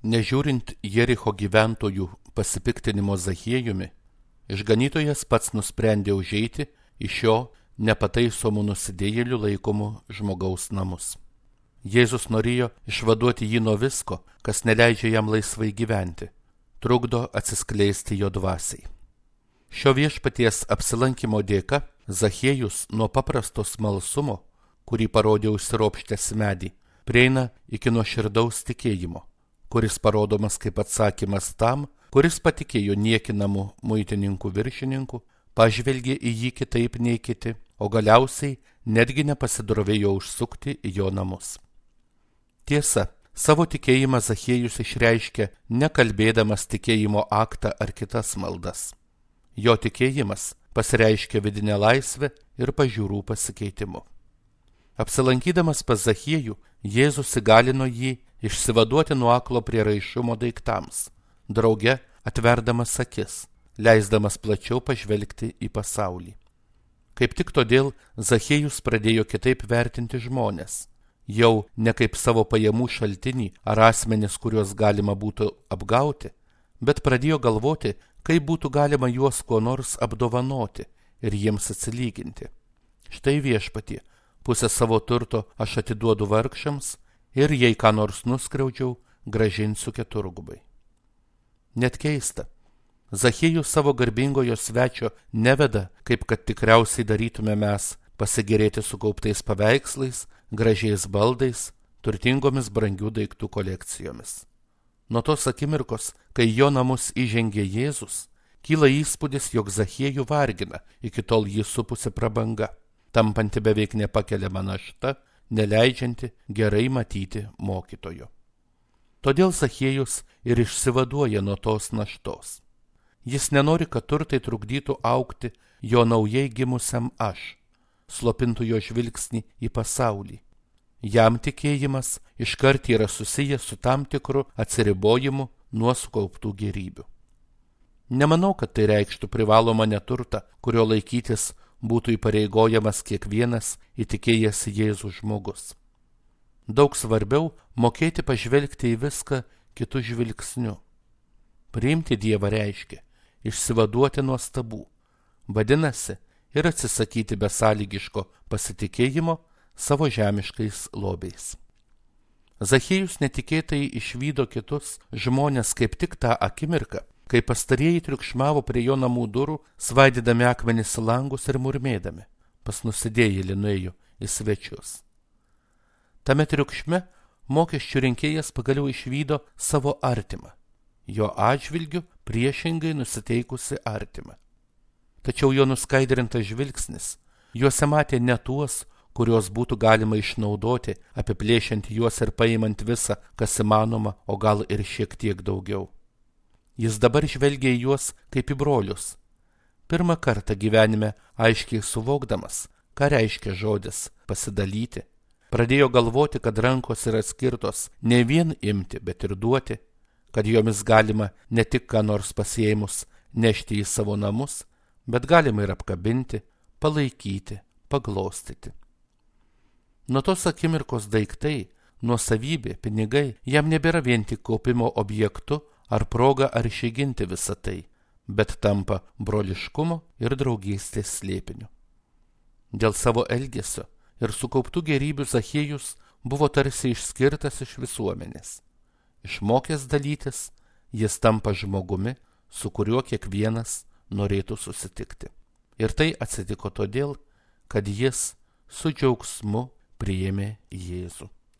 Nežiūrint Jericho gyventojų pasipiktinimo Zachiejumi, išganytojas pats nusprendė užeiti į šio nepataisomų nusidėjėlių laikomų žmogaus namus. Jėzus norėjo išvaduoti jį nuo visko, kas neleidžia jam laisvai gyventi, trukdo atsiskleisti jo dvasiai. Šio viešpaties apsilankimo dėka Zachiejus nuo paprasto smalsumo, kurį parodė užsiropštęs medį, prieina iki nuoširdaus tikėjimo, kuris parodomas kaip atsakymas tam, kuris patikėjo niekinamu muitininkų viršininku, pažvelgė į jį kitaip nei kiti, o galiausiai netgi nepasidrovėjo užsukti į jo namus. Tiesa, savo tikėjimą Zachiejus išreiškė nekalbėdamas tikėjimo aktą ar kitas maldas. Jo tikėjimas pasireiškė vidinę laisvę ir pažiūrų pasikeitimu. Apsilankydamas pas Zachiejų, Jėzus įgalino jį išsivaduoti nuo aklo prieraišumo daiktams, drauge atverdamas akis, leisdamas plačiau pažvelgti į pasaulį. Kaip tik todėl Zachiejus pradėjo kitaip vertinti žmones, jau ne kaip savo pajamų šaltinį ar asmenis, kuriuos galima būtų apgauti, bet pradėjo galvoti, kaip būtų galima juos kuo nors apdovanoti ir jiems atsilyginti. Štai viešpatie, pusę savo turto aš atiduodu vargšams ir jei ką nors nuskriaudžiau, grąžinsiu keturgubai. Net keista, Zachiejus savo garbingojo svečio neveda, kaip kad tikriausiai darytume mes, pasigėrėti sukauptais paveikslais, gražiais baldais, turtingomis brangių daiktų kolekcijomis. Nuo tos akimirkos, kai jo namus įžengė Jėzus, kyla įspūdis, jog Zachiejų vargina iki tol jį supusi prabanga, tampanti beveik nepakeliama našta, neleidžianti gerai matyti mokytojo. Todėl Zachiejus ir išsivaduoja nuo tos naštos. Jis nenori, kad turtai trukdytų augti jo naujai gimusiam aš, slopintų jo žvilgsnį į pasaulį. Jam tikėjimas iškart yra susijęs su tam tikru atsiribojimu nuo sukauptų gėrybių. Nemanau, kad tai reikštų privalomą neturtą, kurio laikytis būtų įpareigojamas kiekvienas įtikėjęs Jėzų žmogus. Daug svarbiau mokėti pažvelgti į viską kitų žvilgsniu. Priimti Dievą reiškia išsivaduoti nuo stabų, vadinasi ir atsisakyti besąlygiško pasitikėjimo savo žemiškais lobiais. Zachiejus netikėtai išvydo kitus žmonės kaip tik tą akimirką, kai pastarieji triukšmavo prie jo namų durų, svaidydami akmenis į langus ir murmėdami, pas nusidėjėlį nuėjo į svečius. Tame triukšme mokesčių rinkėjas pagaliau išvydo savo artimą, jo atžvilgiu priešingai nusiteikusi artimą. Tačiau jo nuskaidrintas žvilgsnis juose matė ne tuos, kuriuos būtų galima išnaudoti, apiplėšiant juos ir paimant visą, kas įmanoma, o gal ir šiek tiek daugiau. Jis dabar žvelgia į juos kaip į brolius. Pirmą kartą gyvenime aiškiai suvokdamas, ką reiškia žodis pasidalyti, pradėjo galvoti, kad rankos yra skirtos ne vien imti, bet ir duoti, kad jomis galima ne tik ką nors pasiėmus nešti į savo namus, bet galima ir apkabinti, palaikyti, paglostyti. Nuo tos akimirkos daiktai, nuosavybė, pinigai jam nebėra vien tik kaupimo objektu ar proga ar išėginti visą tai, bet tampa broliškumo ir draugystės slėpiniu. Dėl savo elgesio ir sukauptų gėrybių Zachiejus buvo tarsi išskirtas iš visuomenės. Išmokęs dalytis, jis tampa žmogumi, su kuriuo kiekvienas norėtų susitikti. Ir tai atsitiko todėl, kad jis su džiaugsmu priėmė Jėzų.